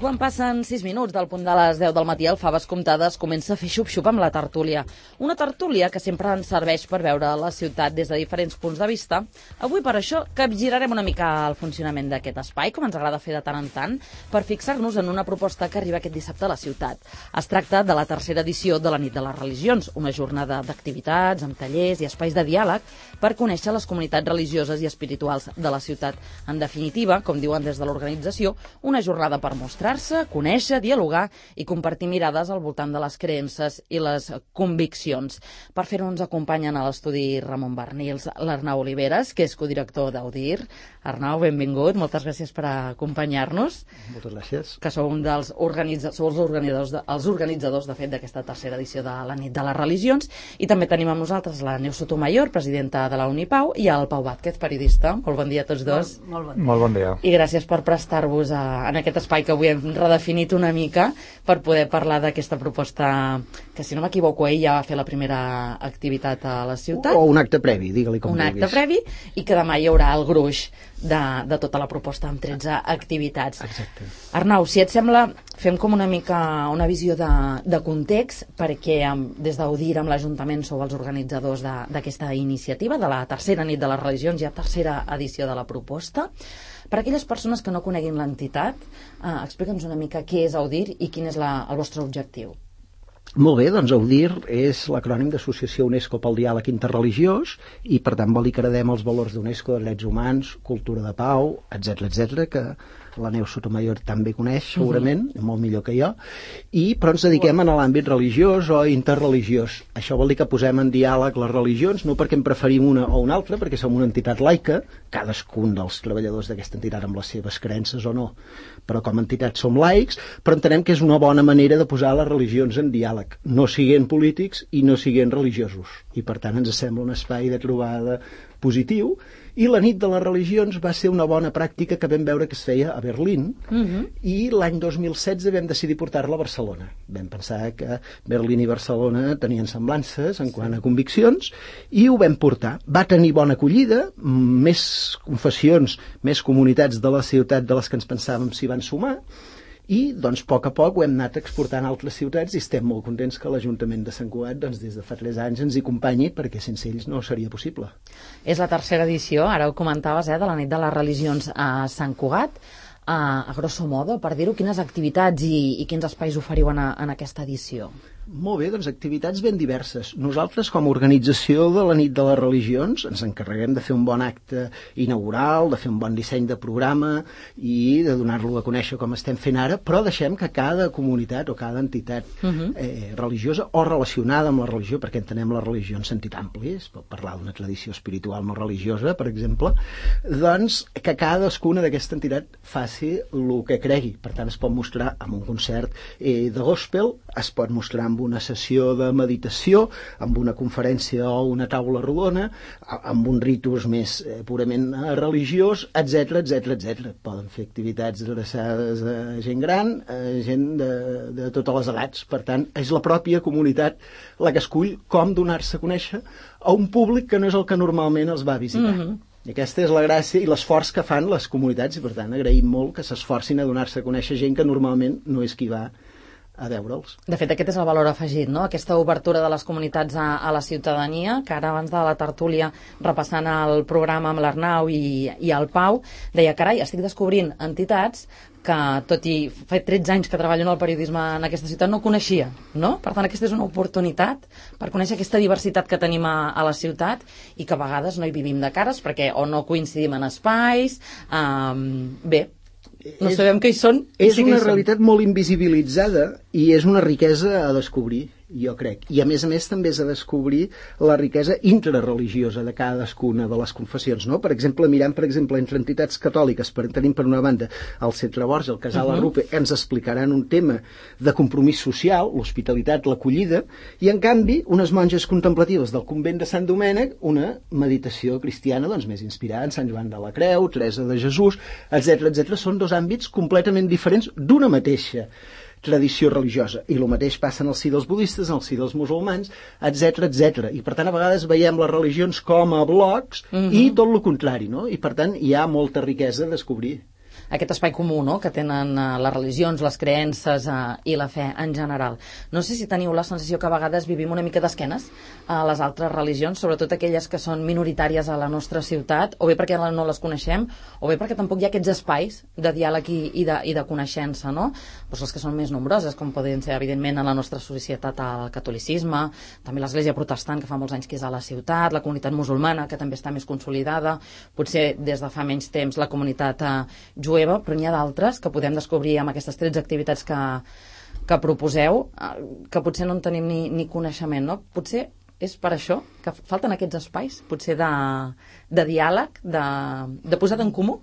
quan passen 6 minuts del punt de les 10 del matí, el Faves Comptades comença a fer xup-xup amb la tertúlia. Una tertúlia que sempre ens serveix per veure la ciutat des de diferents punts de vista. Avui, per això, capgirarem una mica el funcionament d'aquest espai, com ens agrada fer de tant en tant, per fixar-nos en una proposta que arriba aquest dissabte a la ciutat. Es tracta de la tercera edició de la Nit de les Religions, una jornada d'activitats, amb tallers i espais de diàleg per conèixer les comunitats religioses i espirituals de la ciutat. En definitiva, com diuen des de l'organització, una jornada per mostrar-se, conèixer, dialogar i compartir mirades al voltant de les creences i les conviccions. Per fer-ho ens acompanyen a l'estudi Ramon Barnils, l'Arnau Oliveres, que és codirector d'Audir. Arnau, benvingut, moltes gràcies per acompanyar-nos. Moltes gràcies. Que sou un dels organitzadors, de fet, d'aquesta tercera edició de la Nit de les Religions. I també tenim amb nosaltres la Neus Sotomayor, presidenta de la Unipau, i el Pau Vázquez, periodista. Molt bon dia a tots dos. Molt bon dia. Molt bon dia. I gràcies per prestar-vos en aquest espai que avui hem redefinit una mica per poder parlar d'aquesta proposta que, si no m'equivoco, ell ja va fer la primera activitat a la ciutat. O un acte previ, digue-li com vulguis. Un acte previ, i que demà hi haurà el gruix de tota la proposta amb 13 activitats. Exacte. Arnau, si et sembla, fem com una mica una visió de context, perquè des d'Audir amb l'Ajuntament sou els organitzadors d'aquesta iniciativa, de la tercera Nit de les Religions, ja tercera edició de la proposta. Per a aquelles persones que no coneguin l'entitat, explica'ns una mica què és Audir i quin és el vostre objectiu. Molt bé, doncs Audir és l'acrònim d'Associació UNESCO pel Diàleg Interreligiós i per tant vol dir que heredem els valors d'UNESCO de drets humans, cultura de pau, etc que la Neus Sotomayor també coneix segurament, molt millor que jo, però ens dediquem a l'àmbit religiós o interreligiós. Això vol dir que posem en diàleg les religions, no perquè en preferim una o una altra, perquè som una entitat laica, cadascun dels treballadors d'aquesta entitat amb les seves creences o no, però com a entitat som laics, però entenem que és una bona manera de posar les religions en diàleg, no siguent polítics i no siguent religiosos. I per tant ens sembla un espai de trobada positiu, i la Nit de les Religions va ser una bona pràctica que vam veure que es feia a Berlín, i l'any 2016 vam decidir portar-la a Barcelona. Vam pensar que Berlín i Barcelona tenien semblances en quant a conviccions, i ho vam portar. Va tenir bona acollida, més confessions, més comunitats de la ciutat de les que ens pensàvem s'hi van sumar, i doncs a poc ho hem anat exportant a altres ciutats i estem molt contents que l'Ajuntament de Sant Cugat des de fa 3 anys ens hi acompanyi, perquè sense ells no seria possible. És la tercera edició, ara ho comentaves, de la Nit de les Religions a Sant Cugat. A grosso modo, per dir-ho, quines activitats i quins espais oferiu en aquesta edició? Molt bé, doncs activitats ben diverses. Nosaltres, com a organització de la Nit de les Religions, ens encarreguem de fer un bon acte inaugural, de fer un bon disseny de programa i de donar-lo a conèixer com estem fent ara, però deixem que cada comunitat o cada entitat religiosa o relacionada amb la religió, perquè entenem la religió en sentit ampli, es pot parlar d'una tradició espiritual no religiosa, per exemple, doncs que cadascuna d'aquesta entitat faci el que cregui. Per tant, es pot mostrar amb un concert de gospel, es pot mostrar amb una sessió de meditació, amb una conferència o una taula rodona, amb un ritus més purament religiós, etc. Poden fer activitats adreçades a gent gran, a gent de totes les edats. Per tant, és la pròpia comunitat la que escull com donar-se a conèixer a un públic que no és el que normalment els va visitar. I aquesta és la gràcia i l'esforç que fan les comunitats, i per tant agraïm molt que s'esforcin a donar-se a conèixer gent que normalment no és qui va a veure'ls. De fet, aquest és el valor afegit, no? Aquesta obertura de les comunitats a la ciutadania, que ara abans de la tertúlia, repassant el programa amb l'Arnau i el Pau, deia, carai, estic descobrint entitats que, tot i fa 13 anys que treballo en el periodisme en aquesta ciutat, no coneixia, no? Per tant, aquesta és una oportunitat per conèixer aquesta diversitat que tenim a la ciutat i que a vegades no hi vivim de cares perquè o no coincidim en espais, bé, no sabem què hi són. És una realitat molt invisibilitzada i és una riquesa a descobrir, jo crec. I a més també és a descobrir la riquesa intrareligiosa de cadascuna de les confessions, no? Per exemple, mirant entre entitats catòliques, tenim per una banda el Centre Borja, el Casal Arrupe, ens explicaran un tema de compromís social, l'hospitalitat, l'acollida, i en canvi unes monges contemplatives del convent de Sant Domènec, una meditació cristiana doncs més inspirada en Sant Joan de la Creu, Teresa de Jesús, etc. Són dos àmbits completament diferents d'una mateixa tradició religiosa, i el mateix passa en el si dels budistes, en el si dels musulmans, etc. I per tant a vegades veiem les religions com a blocs i tot el contrari, no? I per tant hi ha molta riquesa a descobrir. aquest espai comú, no?, que tenen les religions, les creences i la fe en general. No sé si teniu la sensació que a vegades vivim una mica d'esquenes a les altres religions, sobretot aquelles que són minoritàries a la nostra ciutat, o bé perquè no les coneixem, o bé perquè tampoc hi ha aquests espais de diàleg i de coneixença, no? Doncs les que són més nombroses, com poden ser, evidentment, a la nostra societat el catolicisme, també l'Església Protestant, que fa molts anys que és a la ciutat, la comunitat musulmana, que també està més consolidada, potser des de fa menys temps la comunitat jueva, però n'hi ha d'altres que podem descobrir amb aquestes 13 activitats que proposeu, que potser no en tenim ni coneixement, no? Potser és per això que falten aquests espais, potser de diàleg, de posada en comú?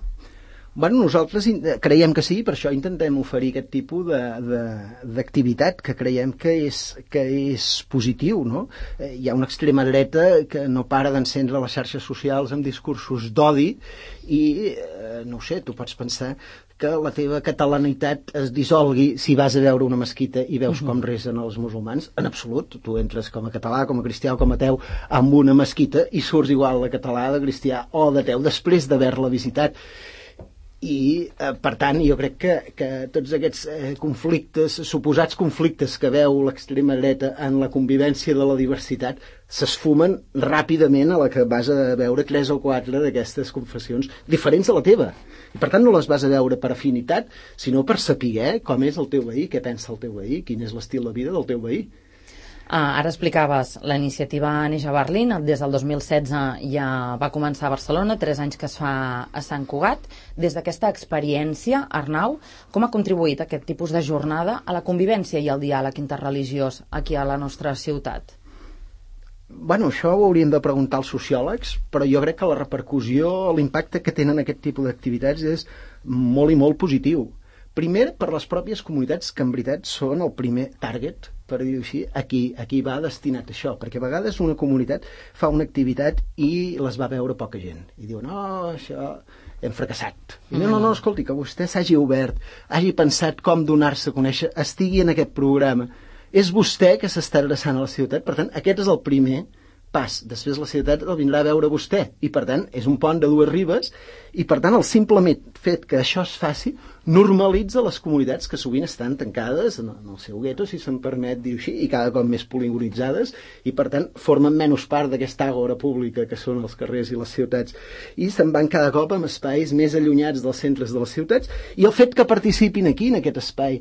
Bueno, nosaltres creiem que sí, per això intentem oferir aquest tipus d'activitat que creiem que és positiu, no? Hi ha una extrema dreta que no para d'encendre les xarxes socials amb discursos d'odi i, no ho sé, tu pots pensar que la teva catalanitat es dissolgui si vas a veure una mesquita i veus com resen els musulmans. En absolut, tu entres com a català, com a cristià o com a ateu amb una mesquita i surts igual de català, de cristià o d'ateu després d'haver-la visitat. I, per tant, jo crec que tots aquests conflictes, suposats conflictes que veu l'extrema dreta en la convivència de la diversitat s'esfumen ràpidament a la que vas a veure 3 o 4 d'aquestes confessions diferents de la teva. I, per tant, no les vas a veure per afinitat, sinó per saber com és el teu veí, què pensa el teu veí, quin és l'estil de vida del teu veí. Ara explicaves, la iniciativa neix a Berlín, des del 2016 ja va començar a Barcelona, 3 anys que es fa a Sant Cugat. Des d'aquesta experiència, Arnau, com ha contribuït aquest tipus de jornada a la convivència i al diàleg interreligiós aquí a la nostra ciutat? Bueno, això ho hauríem de preguntar als sociòlegs, però jo crec que la repercussió, l'impacte que tenen aquest tipus d'activitats és molt i molt positiu. Primer, per les pròpies comunitats que en veritat són el primer target, per dir-ho així, aquí va destinat això, perquè a vegades una comunitat fa una activitat i les va veure poca gent, i diuen, no, això hem fracassat. I no, escolti, que vostè s'hagi obert, hagi pensat com donar-se a conèixer, estigui en aquest programa, és vostè que s'està adreçant a la ciutat, per tant, aquest és el primer pas. Després la ciutat el vindrà a veure vostè, i per tant, és un pont de 2 ribes, i per tant, el simplement fet que això es faci normalitza les comunitats que sovint estan tancades en el seu gueto, si se'm permet dir-ho així, i cada cop més poligonitzades, i per tant formen menys part d'aquesta àgora pública que són els carrers i les ciutats, i se'n van cada cop amb espais més allunyats dels centres de les ciutats, i el fet que participin aquí, en aquest espai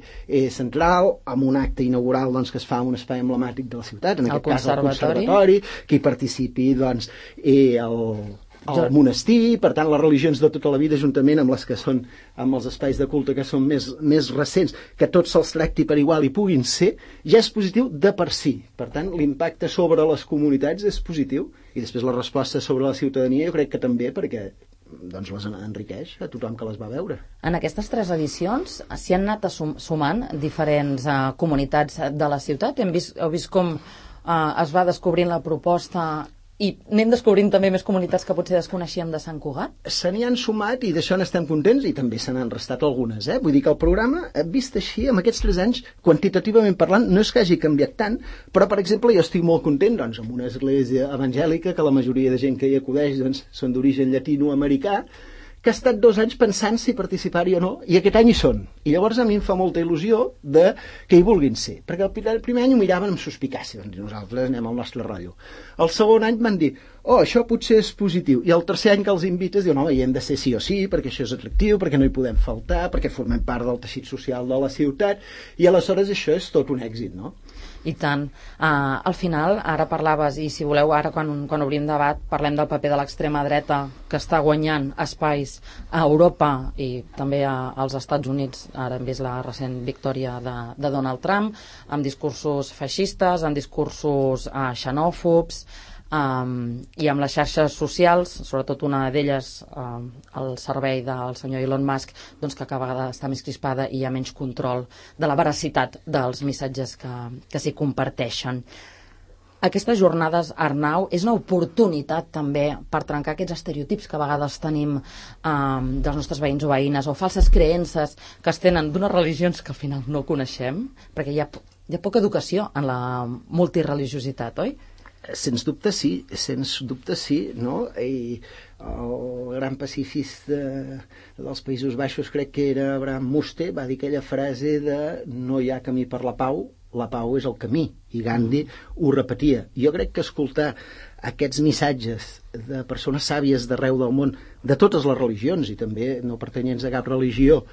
central, amb un acte inaugural doncs, que es fa en un espai emblemàtic de la ciutat, en aquest cas el Conservatori, que hi participi doncs, el monestir, per tant les religions de tota la vida juntament amb les que són amb els espais de culte que són més recents, que tots se'ls tracti per igual i puguin ser, ja és positiu de per si. Per tant, l'impacte sobre les comunitats és positiu i després la resposta sobre la ciutadania jo crec que també, perquè doncs les enriqueix a tothom que les va veure. En aquestes 3 edicions s'hi han anat sumant diferents comunitats de la ciutat. Heu vist com es va descobrint la proposta i anem descobrint també més comunitats que potser desconeixíem de Sant Cugat? Se n'hi han sumat i d'això n'estem contents i també se n'han restat algunes. Vull dir que el programa, vist així, amb aquests 3 anys, quantitativament parlant, no és que hagi canviat tant, però, per exemple, jo estic molt content doncs, amb una església evangèlica que la majoria de gent que hi acudeix doncs, són d'origen llatinoamericà, que ha estat 2 anys pensant si participar-hi o no, i aquest any hi són. I llavors a mi em fa molta il·lusió que hi vulguin ser, perquè el primer any ho miraven amb suspicàcia, doncs nosaltres anem al nostre rotllo. El segon any van dir, això potser és positiu, i el tercer any que els invites diuen, hi hem de ser sí o sí, perquè això és atractiu, perquè no hi podem faltar, perquè formem part del teixit social de la ciutat, i aleshores això és tot un èxit, no? I tant. Al final, ara parlaves, i si voleu, ara quan obrim debat, parlem del paper de l'extrema dreta que està guanyant espais a Europa i també als Estats Units. Ara hem vist la recent victòria de Donald Trump, amb discursos feixistes, amb discursos xenòfobs, i amb les xarxes socials, sobretot una d'elles al servei del senyor Elon Musk, doncs que cada vegada està més crispada i hi ha menys control de la veracitat dels missatges que s'hi comparteixen. Aquestes jornades, Arnau, és una oportunitat també per trencar aquests estereotips que a vegades tenim dels nostres veïns o veïnes, o falses creences que es tenen d'unes religions que al final no coneixem, perquè hi ha poca educació en la multireligiositat, oi? Sens dubte sí, no? I el gran pacifista dels Països Baixos, crec que era Abraham Muste, va dir aquella frase de no hi ha camí per la pau és el camí, i Gandhi ho repetia. Jo crec que escoltar aquests missatges de persones sàvies d'arreu del món, de totes les religions i també no pertanyents a cap religió,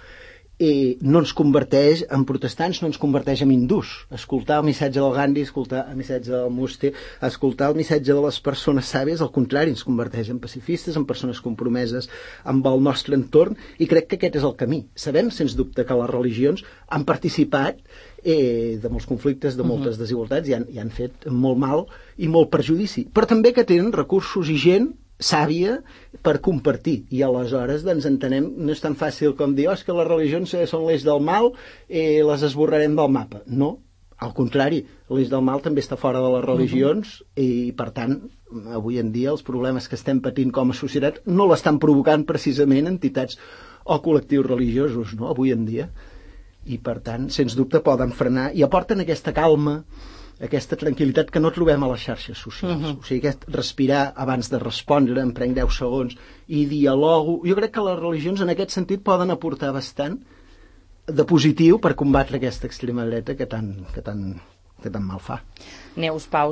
no ens converteix en protestants, no ens converteix en hindús. Escoltar el missatge del Gandhi, escoltar el missatge del Muste, escoltar el missatge de les persones sàvies, al contrari, ens converteix en pacifistes, en persones compromeses amb el nostre entorn, i crec que aquest és el camí. Sabem, sens dubte, que les religions han participat de molts conflictes, de moltes desigualtats, i han fet molt mal i molt perjudici, però també que tenen recursos i gent sàvia per compartir, i aleshores doncs entenem, no és tan fàcil com dir que les religions són l'eix del mal i les esborrarem del mapa. No, al contrari, l'eix del mal també està fora de les religions, i per tant avui en dia els problemes que estem patint com a societat no l'estan provocant precisament entitats o col·lectius religiosos, no?, avui en dia, i per tant sens dubte poden frenar i aporten aquesta calma, aquesta tranquil·litat que no trobem a les xarxes socials. O sigui, aquest respirar abans de respondre, em prenc 10 segons i dialogo. Jo crec que les religions en aquest sentit poden aportar bastant de positiu per combatre aquesta extrema dreta que tan mal fa. Neus, Pau,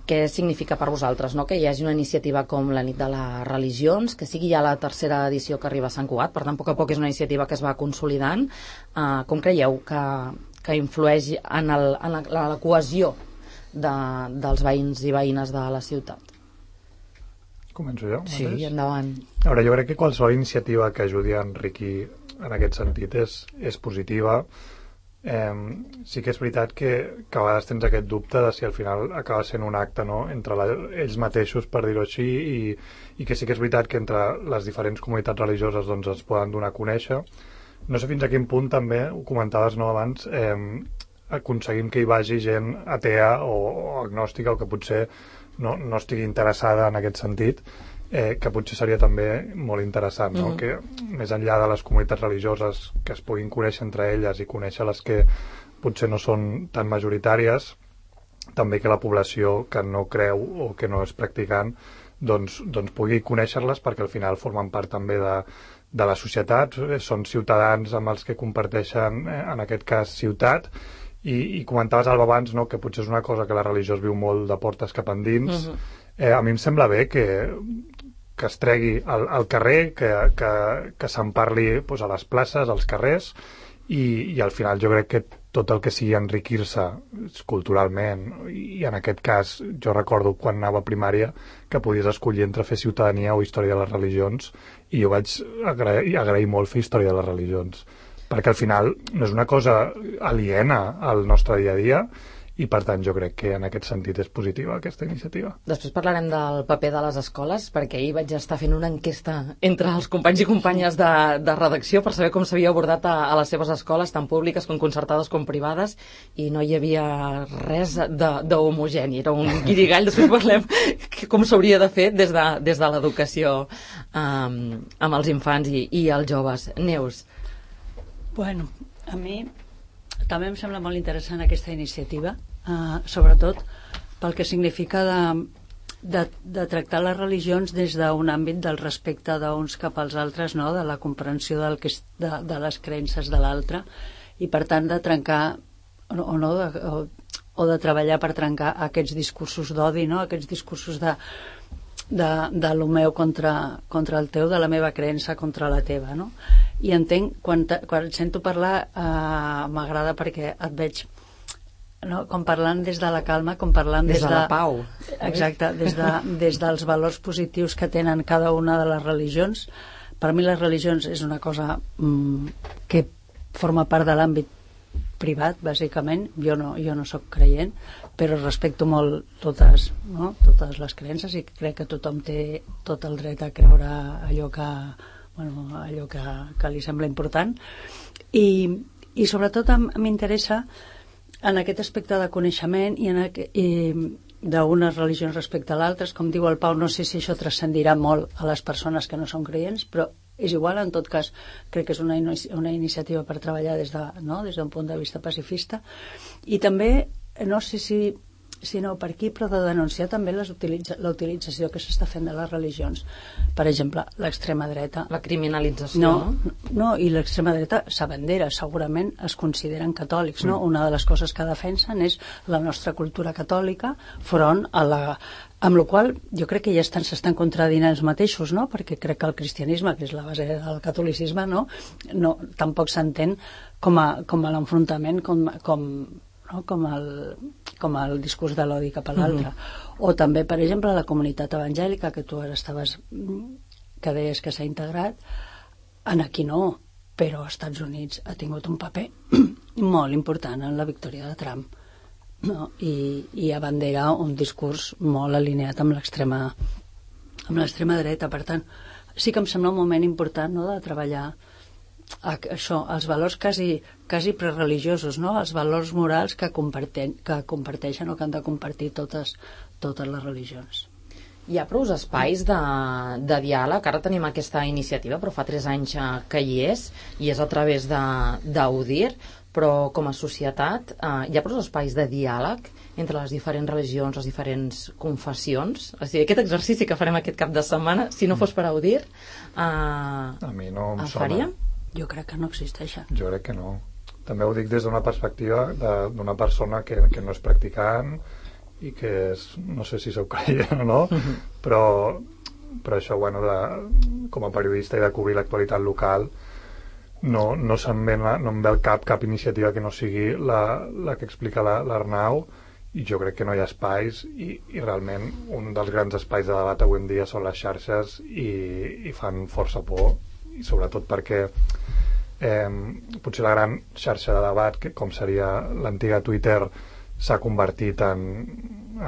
què significa per vosaltres, no?, que hi hagi una iniciativa com la Nit de les Religions, que sigui ja la tercera edició que arriba a Sant Cugat, per tant, a poc a poc és una iniciativa que es va consolidant. Com creieu que influeix en la cohesió dels veïns i veïnes de la ciutat? Començo jo? Sí, endavant. A veure, jo crec que qualsevol iniciativa que ajudi a enriquir en aquest sentit és positiva. Sí que és veritat que a vegades tens aquest dubte de si al final acaba sent un acte, no?, entre ells mateixos, per dir-ho així, i que sí que és veritat que entre les diferents comunitats religioses doncs es poden donar a conèixer. No sé fins a quin punt també, ho comentaves, no, abans, aconseguim que hi vagi gent atea o agnòstica, o que potser no estigui interessada en aquest sentit, que potser seria també molt interessant, no? Que més enllà de les comunitats religioses que es puguin conèixer entre elles i conèixer les que potser no són tan majoritàries, també que la població que no creu o que no és practicant doncs pugui conèixer-les, perquè al final formen part també de la societat, són ciutadans amb els que comparteixen, en aquest cas, ciutat, i comentaves, Alba, abans, no?, que potser és una cosa que la religió es viu molt de portes cap endins. A mi em sembla bé que es tregui al carrer, que se'n parli doncs, a les places, als carrers, i al final jo crec que tot el que sigui enriquir-se culturalment, i en aquest cas jo recordo quan anava a primària que podies escollir entre fer ciutadania o història de les religions, i jo vaig agrair molt fer història de les religions, perquè al final no és una cosa aliena al nostre dia a dia, i per tant jo crec que en aquest sentit és positiva aquesta iniciativa. Després parlarem del paper de les escoles, perquè ahir vaig estar fent una enquesta entre els companys i companyes de redacció per saber com s'havia abordat a les seves escoles, tant públiques com concertades com privades, i no hi havia res d'homogeni, era un guirigall. Després parlem com s'hauria de fer des de l'educació amb els infants i els joves. Neus. Bueno, a mi també em sembla molt interessant aquesta iniciativa, sobretot pel que significa de tractar les religions des d'un àmbit del respecte d'uns cap als altres, no?, de la comprensió de les creences de l'altre, i per tant de trencar o de treballar per trencar aquests discursos d'odi, no?, aquests discursos de lo meu contra el teu, de la meva creença contra la teva, no? I entenc, quan et sento parlar, m'agrada perquè et veig, no?, com parlant des de la calma, com parlant des de la pau. Exacte, des dels valors positius que tenen cada una de les religions. Per mi les religions és una cosa que forma part de l'àmbit privat, bàsicament. Jo no soc creient, però respecto molt totes les creences, i crec que tothom té tot el dret a creure allò que li sembla important, i sobretot m'interessa en aquest aspecte de coneixement i d'unes religions respecte a l'altres. Com diu el Pau, no sé si això transcendirà molt a les persones que no són creients, però és igual. En tot cas, crec que és una iniciativa per treballar des d'un punt de vista pacifista. I també no sé si Sí, no, per aquí, però de denunciar també la utilització que s'està fent de les religions. Per exemple, l'extrema dreta. La criminalització, no? No, i l'extrema dreta s'abandera, segurament es consideren catòlics, no? Una de les coses que defensen és la nostra cultura catòlica front a la... Amb la qual jo crec que ja s'estan contradient ells mateixos, no? Perquè crec que el cristianisme, que és la base del catolicisme, no tampoc s'entén com a l'enfrontament, com el discurs de l'odi cap a l'altre. O també, per exemple, la comunitat evangèlica, que tu ara que deies que s'ha integrat, aquí no, però als Estats Units ha tingut un paper molt important en la victòria de Trump, no? I abandera un discurs molt alineat amb l'extrema dreta. Per tant, sí que em sembla un moment important, no?, de treballar això, els valors quasi prereligiosos, no? Els valors morals que comparteixen o que han de compartir totes les religions. Hi ha prou espais de diàleg. Ara tenim aquesta iniciativa, però fa 3 anys que hi és a través d'UDIR, però com a societat hi ha prou espais de diàleg entre les diferents religions, les diferents confessions. O sigui, aquest exercici que farem aquest cap de setmana, si no fos per UDIR, a mi no em sona. Faríem? Jo crec que no existeixen. Jo crec que no. També ho dic des d'una perspectiva d'una persona que no és practicant i que és, no sé si sou creient o no, però això, bueno, com a periodista i de cobrir l'actualitat local, no em ve al cap iniciativa que no sigui la que explica l'Arnau, i jo crec que no hi ha espais, i realment un dels grans espais de debat avui en dia són les xarxes, i fan força por, i sobretot perquè potser la gran xarxa de debat, que com seria l'antiga Twitter, s'ha convertit en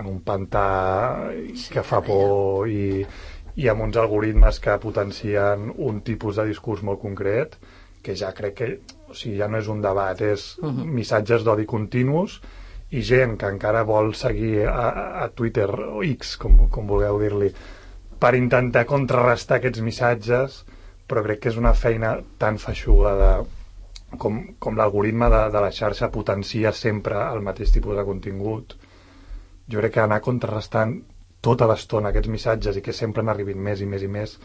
un pantà que fa por, i amb uns algoritmes que potencien un tipus de discurs molt concret, que ja crec que, o sigui, ja no és un debat, és missatges d'odi continus, i gent que encara vol seguir a Twitter o X, com vulgueu dir-li, per intentar contrarrestar aquests missatges, però crec que és una feina tan feixuga com l'algoritme de la xarxa potencia sempre el mateix tipus de contingut. Jo crec que anar contrarrestant tota l'estona aquests missatges i que sempre n'arribin més i més i més,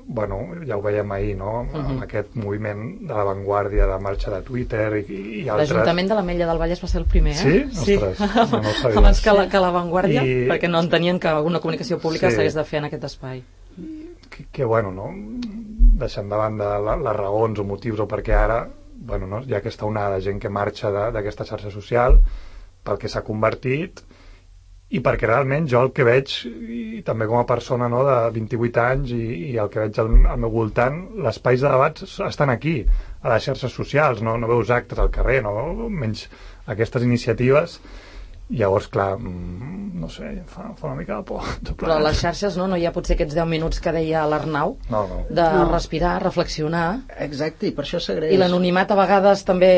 bueno, ja ho veiem ahir, no? Amb aquest moviment de l'avantguàrdia de marxa de Twitter i altres. L'Ajuntament de l'Ametlla del Vallès va ser el primer, Sí? Ostres, no ho sabia. Abans que l'avantguàrdia, perquè no entenien que una comunicació pública s'hagués de fer en aquest espai. Que bueno, no? Deixant de banda les raons o motius o perquè ara, bueno, no? Hi ha aquesta onada de gent que marxa d'aquesta xarxa social pel que s'ha convertit, i perquè realment jo el que veig, i també com a persona, no, de 28 anys, i el que veig al meu voltant, els espais de debat estan aquí, a les xarxes socials, no veus actes al carrer, no? Menys aquestes iniciatives. Llavors, clar, no sé, fa una mica de por. Però a les xarxes no hi ha potser aquests 10 minuts que deia l'Arnau, de respirar, reflexionar. Exacte, i per això s'agraeix. I l'anonimat a vegades també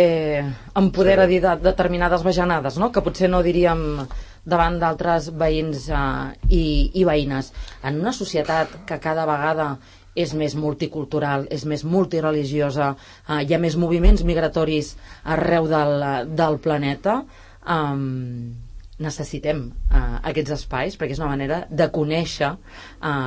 empodera dir determinades bajanades, no? Que potser no diríem davant d'altres veïns i veïnes. En una societat que cada vegada és més multicultural, és més multireligiosa, hi ha més moviments migratoris arreu del planeta, necessitem aquests espais, perquè és una manera de conèixer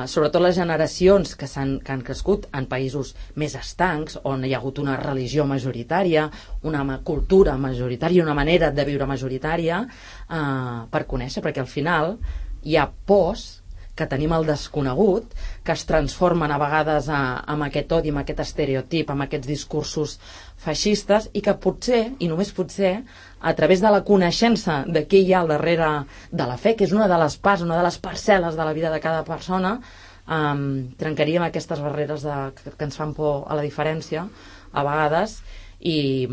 sobretot les generacions que han crescut en països més estancs, on hi ha hagut una religió majoritària, una cultura majoritària, una manera de viure majoritària, per conèixer, perquè al final hi ha pors que tenim el desconegut, que es transformen a vegades amb aquest odi, amb aquest estereotip, amb aquests discursos feixistes, i que potser, i només potser, a través de la coneixença de què hi ha al darrere de la fe, que és una de les parts, una de les parcel·les de la vida de cada persona, trencaríem aquestes barreres que ens fan por a la diferència, a vegades, i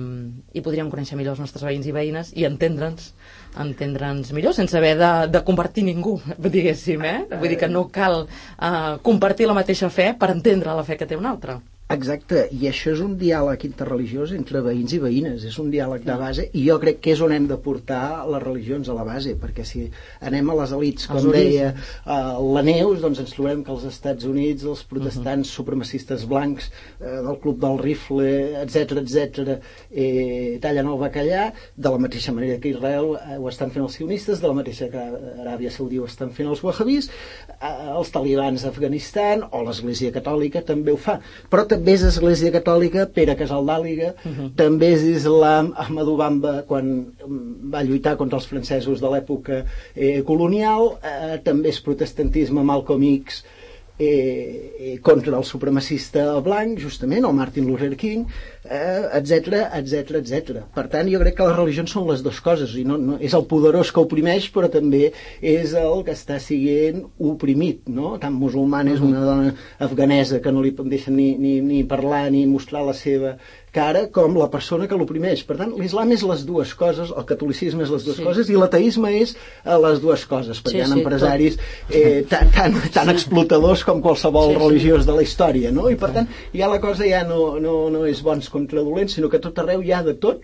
podríem conèixer millor els nostres veïns i veïnes i entendre'ns millor sense haver de convertir ningú, diguéssim, Vull dir que no cal compartir la mateixa fe per entendre la fe que té un altre. Exacte, i això és un diàleg interreligiós entre veïns i veïnes, és un diàleg de base, i jo crec que és on hem de portar les religions a la base, perquè si anem a les elites, com deia la Neus, doncs ens trobem que als Estats Units els protestants supremacistes blancs del Club del Rifle, etc tallen el bacallà, de la mateixa manera que Israel ho estan fent els sionistes, de la mateixa que Aràbia Saudí ho estan fent els wahhabis, els talibans d'Afganistan o l'Església Catòlica també ho fa, però també és Església Catòlica Pere Casaldàliga, també és Islam Ahmadou Bamba quan va lluitar contra els francesos de l'època colonial, també és protestantisme Malcolm X contra el supremacista blanc, justament, o Martin Luther King, etc. Per tant, jo crec que les religions són les dues coses, i no és el poderós que oprimeix, però també és el que està sent oprimit, no? Tant musulmana és una dona afganesa que no li deixen ni parlar ni mostrar la seva cara, com la persona que l'oprimeix. Per tant, l'islam és les dues coses, el catolicisme és les dues coses, i l'ateisme és les dues coses, perquè hi ha empresaris tan explotadors com qualsevol religiós de la història, no? I per tant, ja la cosa ja no és bons contra dolents, sinó que tot arreu hi ha de tot,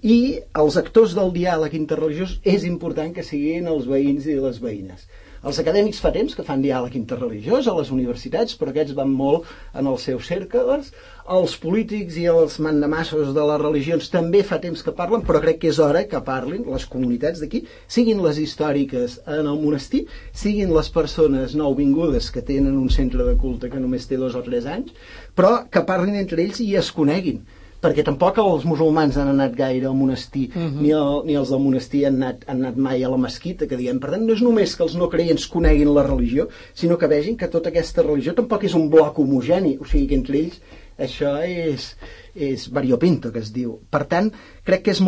i els actors del diàleg interreligiós és important que siguin els veïns i les veïnes. Els acadèmics fa temps que fan diàleg interreligiós a les universitats, però aquests van molt en els seus cercles. Els polítics i els mandamassos de les religions també fa temps que parlen, però crec que és hora que parlin les comunitats d'aquí, siguin les històriques en el monestir, siguin les persones nouvingudes que tenen un centre de culte que només té 2 o 3 anys, però que parlin entre ells i es coneguin, perquè tampoc els musulmans han anat gaire al monestir, ni els del monestir han anat mai a la mesquita, que diguem. Per tant, no és només que els no creients coneguin la religió, sinó que vegin que tota aquesta religió tampoc és un bloc homogeni, o sigui que entre ells això és variopinto, que es diu. Per tant, crec que és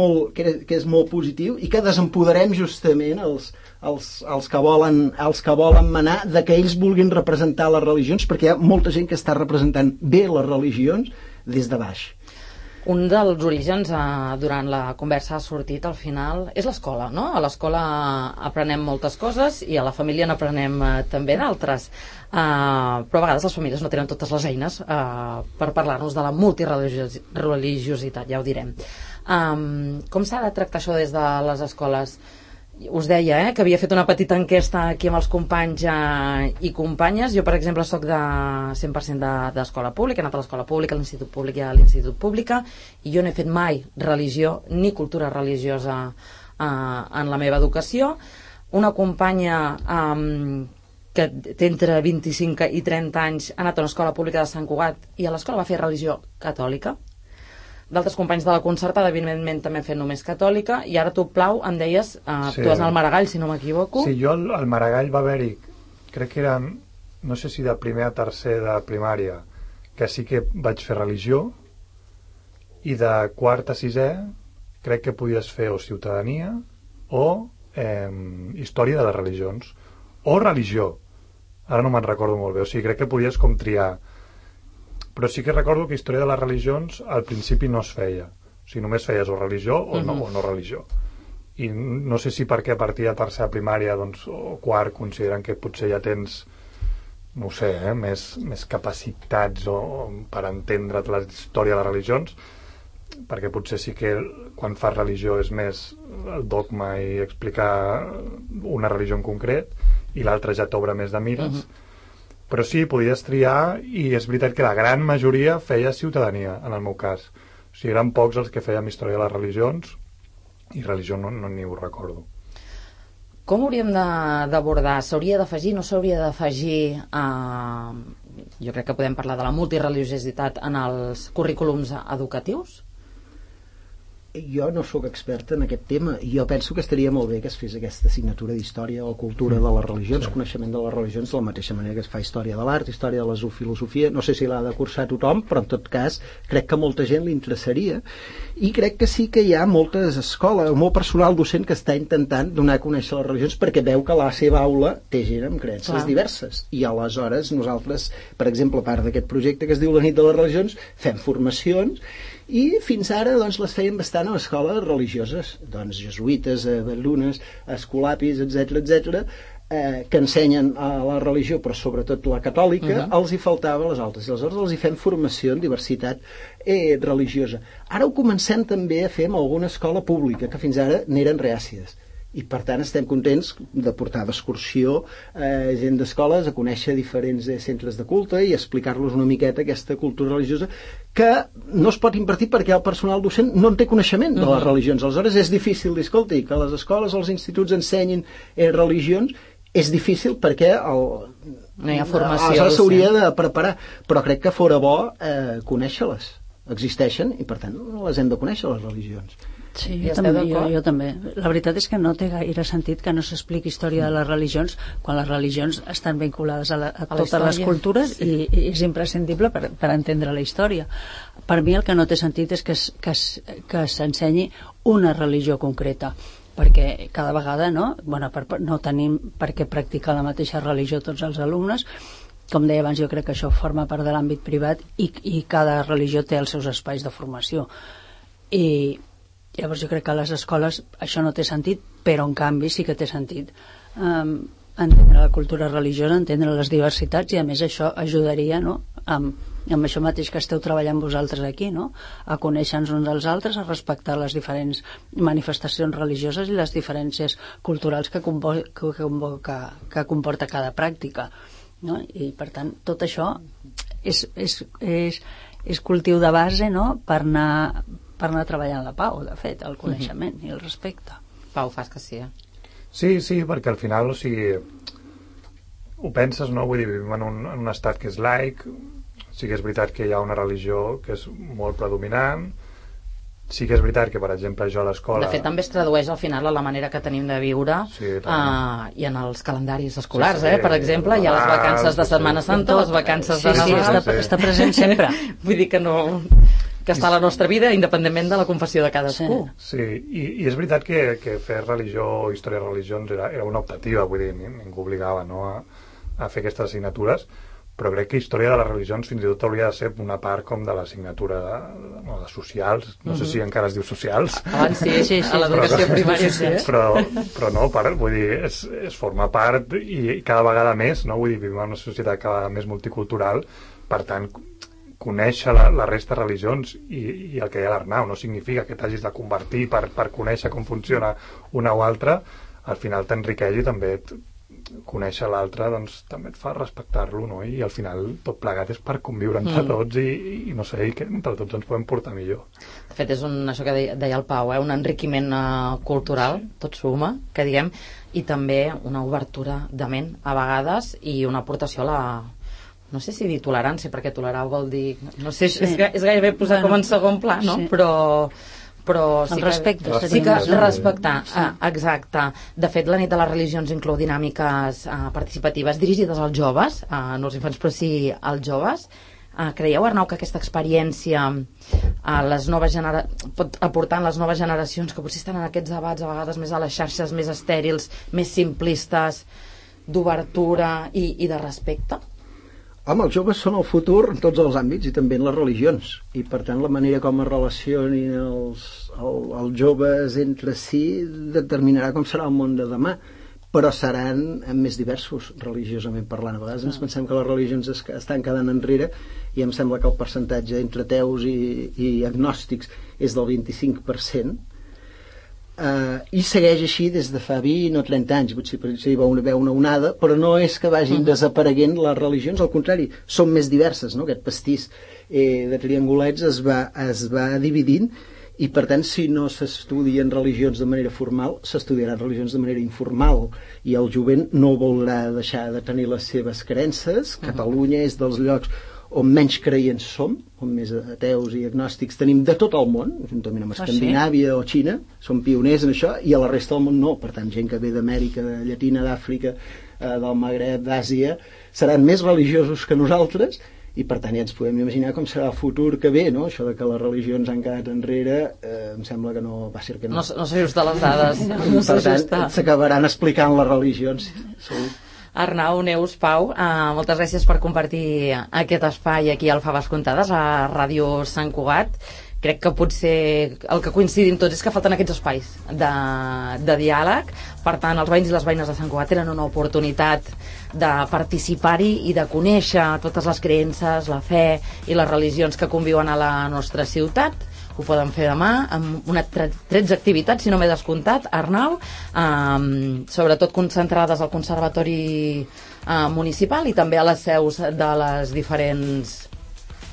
molt positiu i que desempoderem justament els que volen manar de que ells vulguin representar les religions, perquè hi ha molta gent que està representant bé les religions des de baix. Un dels orígens durant la conversa ha sortit al final és l'escola, no? A l'escola aprenem moltes coses i a la família n'aprenem també d'altres, però a vegades les famílies no tenen totes les eines per parlar-nos de la multireligiositat, ja ho direm. Com s'ha de tractar això des de les escoles? Us deia que havia fet una petita enquesta aquí amb els companys i companyes. Jo, per exemple, soc de 100% d'escola pública, he anat a l'escola pública, a l'institut públic i a l'institut pública, i jo no he fet mai religió ni cultura religiosa en la meva educació. Una companya que té entre 25 i 30 anys ha anat a una escola pública de Sant Cugat i a l'escola va fer religió catòlica. D'altres companys de la concertada, evidentment, també han fet només catòlica, i ara tu, Plau, em deies, tu vas anar al Maragall, si no m'equivoco. Sí, jo al Maragall va haver-hi, crec que eren, no sé si de primer a tercer de primària, que sí que vaig fer religió, i de quart a sisè crec que podies fer o ciutadania o història de les religions, o religió, ara no me'n recordo molt bé, o sigui, crec que podies com triar. Però sí que recordo que història de les religions al principi no es feia. O sigui, només feies o religió o no religió. I no sé si perquè a partir de tercera primària o quart consideren que potser ja tens, no ho sé, més capacitats per entendre la història de les religions, perquè potser sí que quan fas religió és més el dogma i explicar una religió en concret, i l'altra ja t'obre més de mires. Però sí, podies triar, i és veritat que la gran majoria feia ciutadania, en el meu cas. O sigui, eren pocs els que fèiem història de les religions, i religió no ni ho recordo. Com hauríem d'abordar? S'hauria d'afegir, no s'hauria d'afegir? Jo crec que podem parlar de la multireligiositat en els currículums educatius? Jo no sóc expert en aquest tema, i jo penso que estaria molt bé que es fes aquesta assignatura d'història o cultura de les religions, coneixement de les religions, de la mateixa manera que es fa història de l'art, història de la filosofia. No sé si l'ha de cursar tothom, però en tot cas crec que a molta gent li interessaria, i crec que sí que hi ha moltes escoles, molt personal docent que està intentant donar a conèixer les religions, perquè veu que la seva aula té gent amb creences diverses, i aleshores nosaltres, per exemple, a part d'aquest projecte que es diu la nit de les religions, fem formacions, i fins ara les feien bastant a escoles religioses, jesuïtes, balunes, escolapis, etc, que ensenyen a la religió, però sobretot la catòlica, els hi faltava a les altres. I aleshores els hi fem formació en diversitat religiosa. Ara ho comencem també a fer amb alguna escola pública, que fins ara n'eren reàcies. I per tant estem contents de portar d'excursió gent d'escoles a conèixer diferents centres de culte i explicar-los una miqueta aquesta cultura religiosa que no es pot impartir perquè el personal docent no en té coneixement de les religions. Aleshores és difícil dir, escolti, que les escoles o els instituts ensenyin religions, és difícil perquè no hi ha formació. Aleshores s'hauria de preparar, però crec que fora bo conèixer-les. Existeixen i per tant les hem de conèixer, les religions. Sí, jo també. La veritat és que no té gaire sentit que no s'expliqui història de les religions quan les religions estan vinculades a totes les cultures i és imprescindible per entendre la història. Per mi el que no té sentit és que s'ensenyi una religió concreta, perquè cada vegada no tenim per què practicar la mateixa religió tots els alumnes. Com deia abans, jo crec que això forma part de l'àmbit privat i cada religió té els seus espais de formació. I llavors jo crec que a les escoles això no té sentit, però en canvi sí que té sentit entendre la cultura religiosa, entendre les diversitats, i a més això ajudaria, no?, amb això mateix que esteu treballant vosaltres aquí, no?, a conèixer-nos uns als altres, a respectar les diferents manifestacions religioses i les diferències culturals que comporta cada pràctica, no? I per tant tot això és cultiu de base, no?, per anar treballant la pau, de fet, el coneixement i el respecte. Pau, fas que sí, Sí, perquè al final, o sigui, ho penses, no? Vull dir, vivim en un estat que és laic, sí que és veritat que hi ha una religió que és molt predominant, sí que és veritat que, per exemple, jo a l'escola... De fet, també es tradueix al final a la manera que tenim de viure i en els calendaris escolars, per exemple, hi ha les vacances de Setmana Santa, les vacances de Nadal... Sí, està present sempre. Vull dir que no... que està a la nostra vida, independentment de la confessió de cadascú. Sí, i és veritat que fer religió o història de religions era una optativa, vull dir, ningú obligava, no, a fer aquestes assignatures, però crec que història de les religions fins i tot hauria de ser una part com de l'assignatura de socials, no sé si encara es diu socials. Abans sí, a l'educació primària sí. Però no, vull dir, es forma part i cada vegada més, no? Vull dir, vivim en una societat cada vegada més multicultural, per tant, conèixer la resta de religions i el que hi ha a l'Arnau no significa que t'hagis de convertir per conèixer com funciona una o altra, al final t'enriqueix i també conèixer l'altre doncs també et fa respectar-lo, no? I al final tot plegat és per conviure entre tots i no sé, i que entre tots ens podem portar millor. De fet és això que deia el Pau, un enriquiment cultural, tot suma, que diguem, i també una obertura de ment a vegades i una aportació a la... no sé si dir tolerància, perquè tolerar vol dir... no sé, és gairebé posar com en segon pla, no? Sí. Però sí el respecte. Sí que respectar, exacte. De fet, la nit de les religions inclou dinàmiques participatives dirigides als joves, no als infants, però sí als joves. Creieu, Arnau, que aquesta experiència pot aportar en les noves generacions que potser estan en aquests debats a vegades més a les xarxes, més estèrils, més simplistes, d'obertura i de respecte? Home, els joves són el futur en tots els àmbits i també en les religions, i per tant la manera com es relacionin els joves entre si determinarà com serà el món de demà, però seran més diversos religiosament parlant. A vegades ens pensem que les religions estan quedant enrere i em sembla que el percentatge entre ateus i agnòstics és del 25%, i segueix així des de fa 20 o 30 anys. Potser hi va haver una onada, però no és que vagin desapareguent les religions, al contrari, són més diverses, no? Aquest pastís de triangulets es va dividint, i per tant, si no s'estudien religions de manera formal, s'estudiaran religions de manera informal, i el jovent no voldrà deixar de tenir les seves creences. Catalunya és dels llocs on menys creients som, on més ateus i agnòstics tenim de tot el món, juntament amb Escandinàvia o Xina, som pioners en això, i a la resta del món no. Per tant, gent que ve d'Amèrica, de Llatina, d'Àfrica, del Magreb, d'Àsia, seran més religiosos que nosaltres, i per tant ja ens podem imaginar com serà el futur que ve, no? Això de que les religions han quedat enrere, em sembla que no va ser que no. No s'ajusta a les dades. Per tant, s'acabaran explicant les religions, segur. Arnau, Neus, Pau, moltes gràcies per compartir aquest espai aquí al Faves Contades, a Ràdio Sant Cugat, crec que potser el que coincidim tots és que falten aquests espais de diàleg. Per tant, els veïns i les veïnes de Sant Cugat tenen una oportunitat de participar-hi i de conèixer totes les creences, la fe i les religions que conviuen a la nostra ciutat. Ho poden fer demà amb una 13 activitats, si no m'he descomptat, Arnau, sobretot concentrades al Conservatori Municipal i també a les seus de les diferents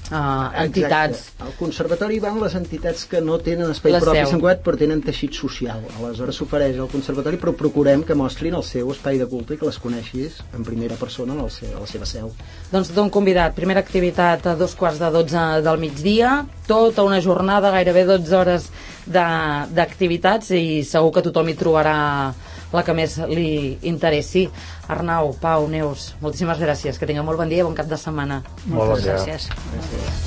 entitats. Exacte. Al conservatori van les entitats que no tenen espai propi a Sant Cugat però tenen teixit social. Aleshores s'ofereix al conservatori, però procurem que mostrin el seu espai de culte i que les coneixis en primera persona a la seva seu. Doncs tothom convidat. Primera activitat a 11:45 del migdia, tota una jornada, gairebé 12 hores d'activitats, i segur que tothom hi trobarà la que més li interessi. Arnau, Pau, Neus, moltíssimes gràcies, que tingueu molt bon dia i bon cap de setmana. Moltes gràcies. Gràcies.